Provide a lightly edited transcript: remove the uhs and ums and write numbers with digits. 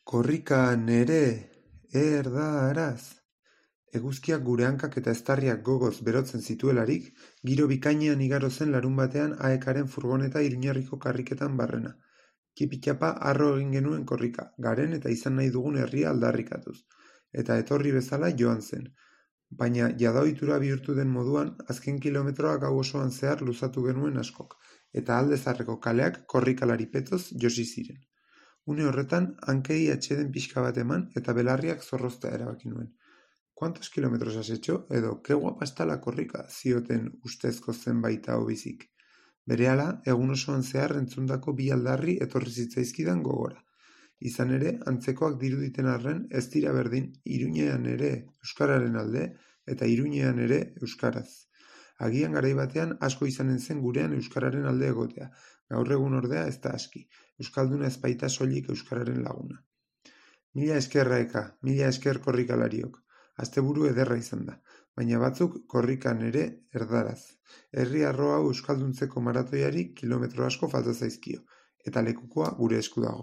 Korrikan ere, erdaraz. Eguzkiak gure hankak eta eztarriak gogoz berotzen zituelarik, giro bikainean igaro zen larunbatean aekaren furgoneta Iruñerriko karriketan barrena. Kipitxapa harro egin genuen korrika, garen eta izan nahi dugun herria aldarrikatuz. Eta etorri bezala joan zen. Baina jada ohitura bihurtu den moduan, azken kilometroa gau osoan zehar luzatu genuen askok, eta alde zaharreko kaleak korrikalari petoz josi ziren. Une horretan, hankei atxeden pixka bat eman eta belarriak zorroztea erabaki nuen. ¿Cuántos kilómetros has hecho? Edo, qué guapa está la korrika, zioten ustezko zenbait ahobizik. Berehala, egun osoan zehar entzundako bi aldarri etorri zitzaizkidan gogora. Izan ere, antzekoak diruditen arren, ez dira berdin Iruñean ere euskararen alde eta Iruñean ere euskaraz. Agian garai batean asko izanen zen gurean euskararen alde egotea. Gaur egun ordea ez da aski. Euskalduna ez baita soilik euskararen laguna. Mila esker Aeka, mila esker korrikalariok. Asteburu ederra izan da, baina batzuk korrikan ere erdaraz. Herri arro hau euskalduntzeko maratoiari kilometro asko falta zaizkio, eta lekukoa gure esku dago.